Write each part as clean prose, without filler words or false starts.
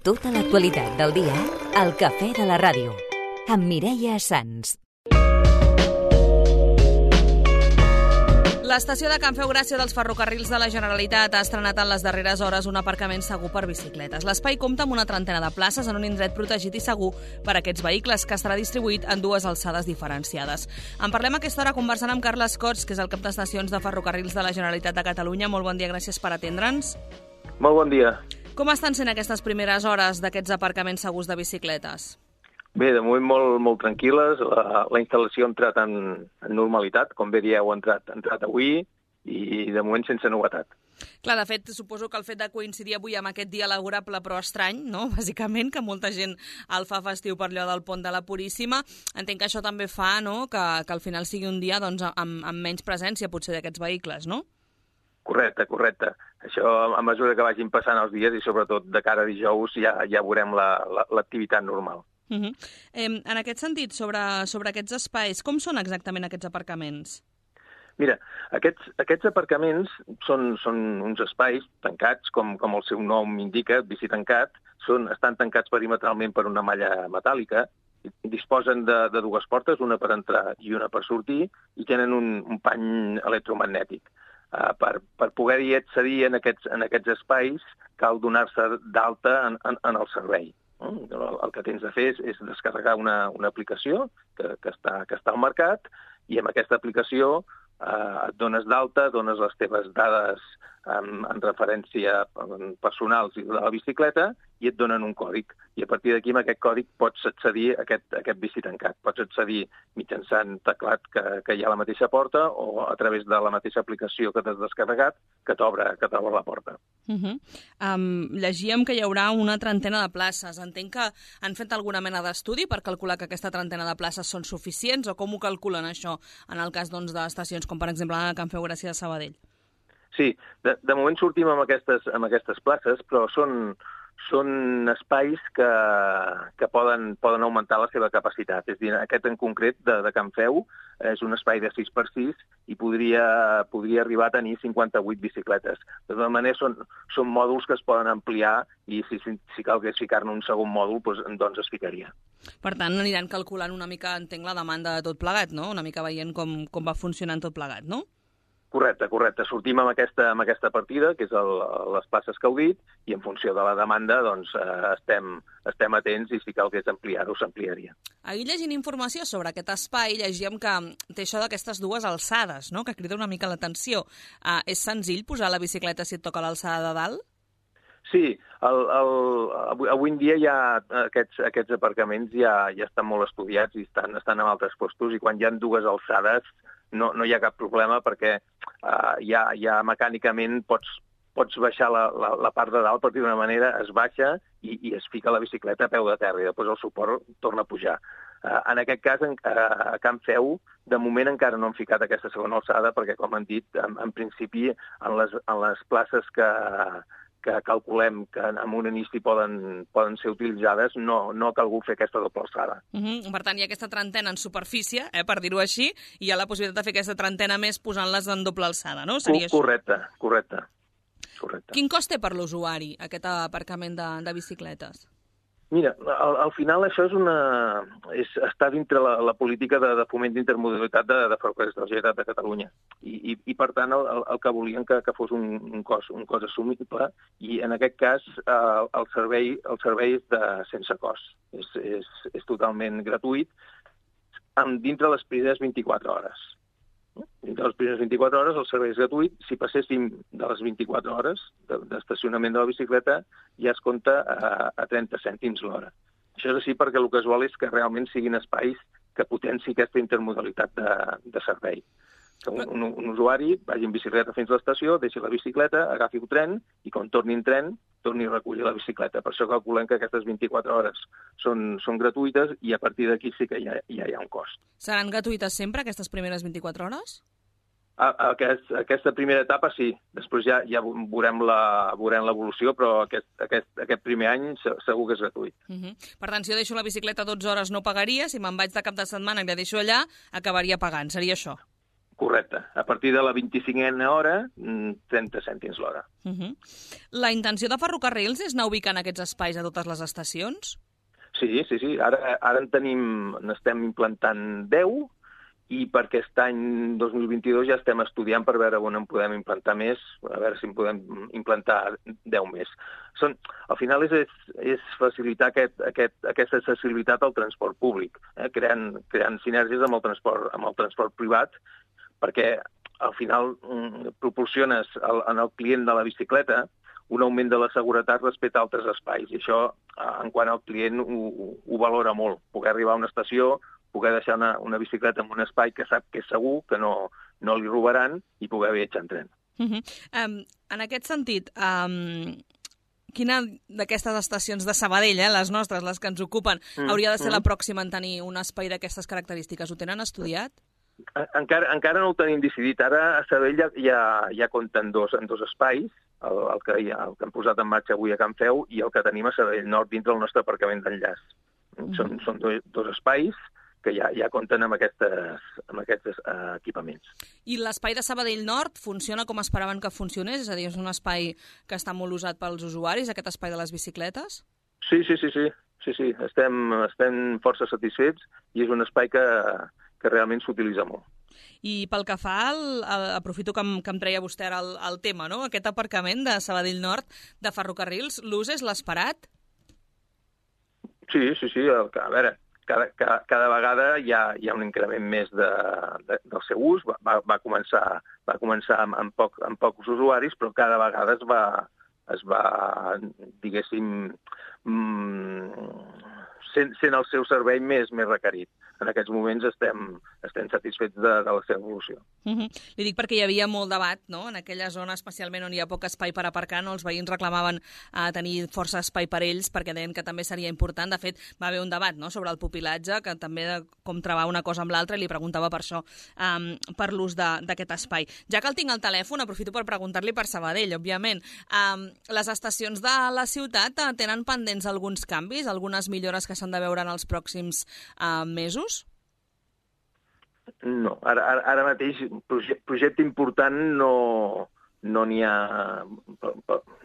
Tota l'actualitat del dia al Cafè de la Ràdio, amb Mireia Sans. L'estació de Can Feu Gràcia dels ferrocarrils de la Generalitat ha estrenat en les darreres hores un aparcament segur per bicicletes. L'espai compta amb una trentena de places en un indret protegit i segur per a aquests vehicles, que estarà distribuït en dues alçades diferenciades. En parlem a aquesta hora conversant amb Carles Cots, que és el cap d'estacions de ferrocarrils de la Generalitat de Catalunya. Molt bon dia, gràcies per atendre'ns. Molt bon dia. Com estan sent aquestes primeres hores d'aquests aparcaments segurs de bicicletes? Bé, de moment molt tranquil·les. La instal·lació ha entrat en normalitat, com bé dieu, ha entrat avui i de moment sense novetat. Clar, de fet, suposo que el fet de coincidir avui amb aquest dia laborable però estrany, no?, bàsicament, que molta gent el fa festiu per allò del pont de la Puríssima, entenc que això també fa, no?, que al final sigui un dia doncs, amb menys presència, potser, d'aquests vehicles, no? Correcte. Això, a mesura que vagin passant els dies i sobretot de cara a dijous, ja veurem l'activitat normal. En aquest sentit, sobre aquests espais, com són exactament aquests aparcaments? Mira, aquests aparcaments són uns espais tancats, com el seu nom indica, bici tancat, estan tancats perimetralment per una malla metàl·lica, disposen de dues portes, una per entrar i una per sortir, i tenen un pany electromagnètic. Per poder-hi accedir en aquests espais cal donar-se d'alta en el servei. El que tens de fer és descarregar una aplicació que està al mercat i amb aquesta aplicació et dones d'alta, dones les teves dades en referència personals de la bicicleta i et donen un còdig. I a partir d'aquí, amb aquest còdig, pots accedir a aquest bici tancat. Pots accedir mitjançant teclat que hi ha a la mateixa porta o a través de la mateixa aplicació que t'has descarregat que t'obre la porta. Llegíem que hi haurà una trentena de places. Entenc que han fet alguna mena d'estudi per calcular que aquesta trentena de places són suficients o com ho calculen això en el cas d'estacions com per exemple a Can Feu Gràcia de Sabadell? Sí, de moment sortim amb aquestes places, però són espais que poden augmentar la seva capacitat. És a dir, aquest en concret de Can Feu és un espai de 6x6 i podria arribar a tenir 58 bicicletes. De tota manera, són mòduls que es poden ampliar i si calgués ficar-ne un segon mòdul, doncs es ficaria. Per tant, aniran calculant una mica, entenc, la demanda de tot plegat, no? Una mica veient com va funcionant tot plegat, no? Correcte. Sortim amb aquesta partida, que és les places que heu dit, i en funció de la demanda doncs, estem atents i si calgués ampliar-ho, s'ampliaria. Ahir llegint informació sobre aquest espai, llegíem que té això d'aquestes dues alçades, no?, que crida una mica l'atenció. És senzill posar la bicicleta si et toca l'alçada de dalt? Sí, avui en dia ja aquests aparcaments ja estan molt estudiats i estan en altres postos, i quan hi ha dues alçades no hi ha cap problema perquè ja mecànicament pots baixar la part de dalt, per dir d'una manera, es baixa i es fica la bicicleta a peu de terra i després el suport torna a pujar. En aquest cas, a Can Feu, de moment encara no han ficat aquesta segona alçada perquè, com han dit, en principi, en les places que calculem que en un inici poden ser utilitzades, no ha calgut fer aquesta doble alçada. Per tant, hi ha aquesta trentena en superfície, per dir-ho així, i hi ha la possibilitat de fer aquesta trentena més posant-les en doble alçada, no? Seria Correcte. Quin cost té per l'usuari aquest aparcament de bicicletes? Mira, al final això està dintre la política de foment d'intermodalitat de Ferrocarrils de la Generalitat de Catalunya. I per tant, el que volien que fos un cost assumible, i en aquest cas el servei és sense cost. És totalment gratuït dintre les primeres 24 hores. Dintre les primeres 24 hores el servei és gratuït. Si passéssim de les 24 hores d'estacionament de la bicicleta ja es compta a 30 cèntims l'hora. Això és així perquè el que es vol és que realment siguin espais que potenci aquesta intermodalitat de servei. Que un usuari vagi en bicicleta fins a l'estació, deixi la bicicleta, agafi un tren i quan torni en tren torni a recollir la bicicleta. Per això calculem que aquestes 24 hores són gratuïtes i a partir d'aquí sí que ja hi ha un cost. Seran gratuïtes sempre aquestes primeres 24 hores? Aquesta primera etapa sí. Després ja veurem l'evolució, però aquest primer any segur que és gratuït. Per tant, si jo deixo la bicicleta 12 hores no pagaria, si me'n vaig de cap de setmana i la deixo allà, acabaria pagant. Seria això? Correcte. A partir de la 25a hora, 30 cèntims l'hora. La intenció de Ferrocarrils és anar ubicant aquests espais a totes les estacions? Sí. Ara n'estem implantant 10 i per aquest any 2022 ja estem estudiant per veure on en podem implantar més, a veure si en podem implantar 10 més. Al final és facilitar aquesta accessibilitat al transport públic, creant sinergies amb el transport privat, perquè al final proporciones al client de la bicicleta un augment de la seguretat respecte a altres espais. I això, en quant al client, ho valora molt. Poder arribar a una estació, poder deixar una bicicleta en un espai que sap que és segur, que no li robaran, i poder viatjar en tren. En aquest sentit, quina d'aquestes estacions de Sabadell, les nostres, les que ens ocupen, hauria de ser la pròxima en tenir un espai d'aquestes característiques? Ho tenen estudiat? Encara no ho tenim decidit. Ara a Sabadell ja compten en dos espais, el que hem posat en marxa avui a Can Feu i el que tenim a Sabadell Nord dins del nostre aparcament d'enllaç. Són dos espais que ja compten amb aquests equipaments. I l'espai de Sabadell Nord funciona com esperaven que funcionés? És a dir, és un espai que està molt usat pels usuaris, aquest espai de les bicicletes? Sí. Estem força satisfets i és un espai que realment s'utilitza molt. I pel que fa aprofito que em treia vostè ara el tema, no? Aquest aparcament de Sabadell Nord de Ferrocarrils, l'ús és l'esperat? Sí. A veure, cada vegada hi ha un increment més del seu ús. Va començar amb pocs usuaris, però cada vegada es va diguéssim, sent el seu servei més requerit. En aquests moments estem satisfets de la seva evolució. Li dic perquè hi havia molt debat, no? En aquella zona, especialment on hi ha poc espai per aparcar, no? Els veïns reclamaven tenir força espai per ells perquè deien que també seria important. De fet, va haver un debat, no?, sobre el pupilatge, que també com travar una cosa amb l'altra, i li preguntava per això, per l'ús d'aquest espai. Ja que el tinc al telèfon, aprofito per preguntar-li per Sabadell, òbviament. Les estacions de la ciutat tenen pendents alguns canvis, algunes millores que s'han de veure en els pròxims mesos? No, ara mateix projecte important no n'hi ha.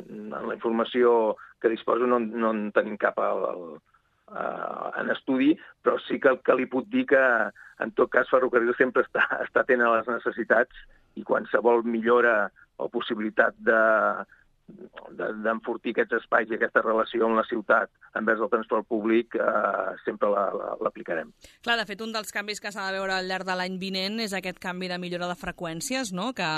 En la informació que disposo no en tenim cap en estudi, però sí que li puc dir que en tot cas Ferrocarrils sempre està atent a les necessitats i qualsevol millora o possibilitat d'enfortir aquests espais i aquesta relació amb la ciutat envers el transport públic sempre l'aplicarem. Clar, de fet, un dels canvis que s'ha de veure al llarg de l'any vinent és aquest canvi de millora de freqüències, no?, que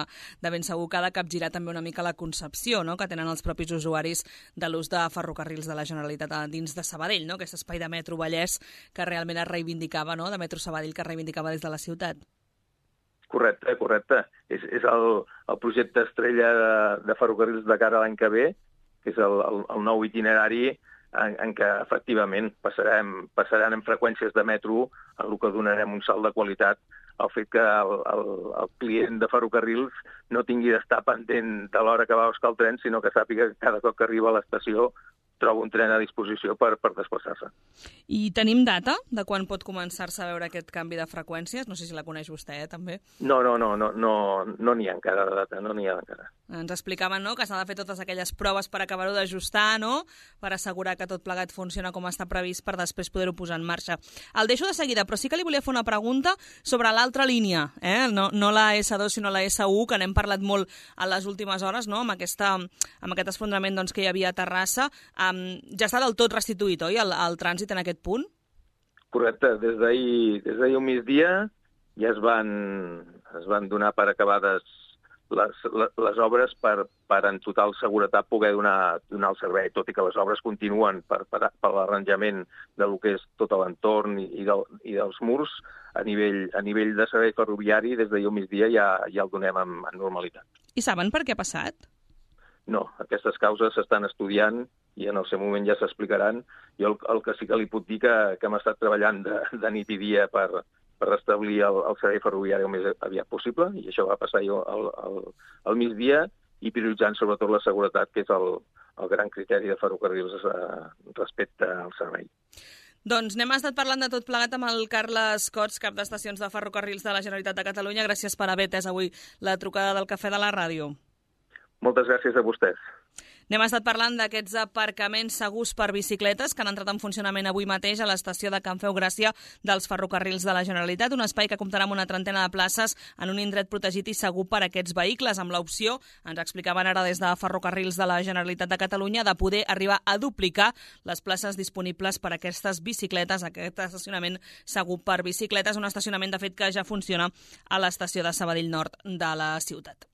de ben segur que ha de capgirar també una mica la concepció, no?, que tenen els propis usuaris de l'ús de Ferrocarrils de la Generalitat dins de Sabadell, no?, aquest espai de metro Vallès que realment es reivindicava, no?, de metro Sabadell que es reivindicava des de la ciutat. Correcte. És el projecte estrella de Ferrocarrils de cara a l'any que ve, que és el nou itinerari en què efectivament passaran en freqüències de metro, en el que donarem un salt de qualitat al fet que el client de Ferrocarrils no tingui d'estar pendent de l'hora que va a buscar el tren, sinó que sàpiga que cada cop que arriba a l'estació troba un tren a disposició per desplaçar-se. I tenim data de quan pot començar-se a veure aquest canvi de freqüències? No sé si la coneix vostè, també. No n'hi ha encara de data, no n'hi ha encara. Ens explicaven, no?, que s'ha de fer totes aquelles proves per acabar-ho d'ajustar, no?, per assegurar que tot plegat funciona com està previst per després poder-ho posar en marxa. El deixo de seguida, però sí que li volia fer una pregunta sobre l'altra línia, no la S2 sinó la S1, que n'hem parlat molt a les últimes hores, no?, amb aquest esfondrament que hi havia a Terrassa. Ja està del tot restituït, oi, el trànsit en aquest punt? Correcte. Des d'ahir al migdia ja es van donar per acabades les obres per en total seguretat poder donar el servei, tot i que les obres continuen per l'arranjament de lo que és tot l'entorn i dels murs. A nivell de servei ferroviari, des d'ahir al migdia ja el donem en normalitat. I saben per què ha passat? No, aquestes causes s'estan estudiant i en el seu moment ja s'explicaran. Jo el que sí que li puc dir que hem estat treballant de nit i dia per restablir el servei ferroviari el més aviat possible, i això va passar al migdia, i prioritzant sobretot la seguretat, que és el gran criteri de Ferrocarrils respecte al servei. Doncs n'hem estat parlant de tot plegat amb el Carles Cots, cap d'estacions de ferrocarrils de la Generalitat de Catalunya. Gràcies per haver atès avui la trucada del Cafè de la Ràdio. Moltes gràcies a vostès. N'hem estat parlant d'aquests aparcaments segurs per bicicletes que han entrat en funcionament avui mateix a l'estació de Can Feu Gràcia dels ferrocarrils de la Generalitat, un espai que comptarà amb una trentena de places en un indret protegit i segur per a aquests vehicles, amb l'opció, ens explicaven ara des de Ferrocarrils de la Generalitat de Catalunya, de poder arribar a duplicar les places disponibles per a aquestes bicicletes, aquest estacionament segur per bicicletes, un estacionament, de fet, que ja funciona a l'estació de Sabadell Nord de la ciutat.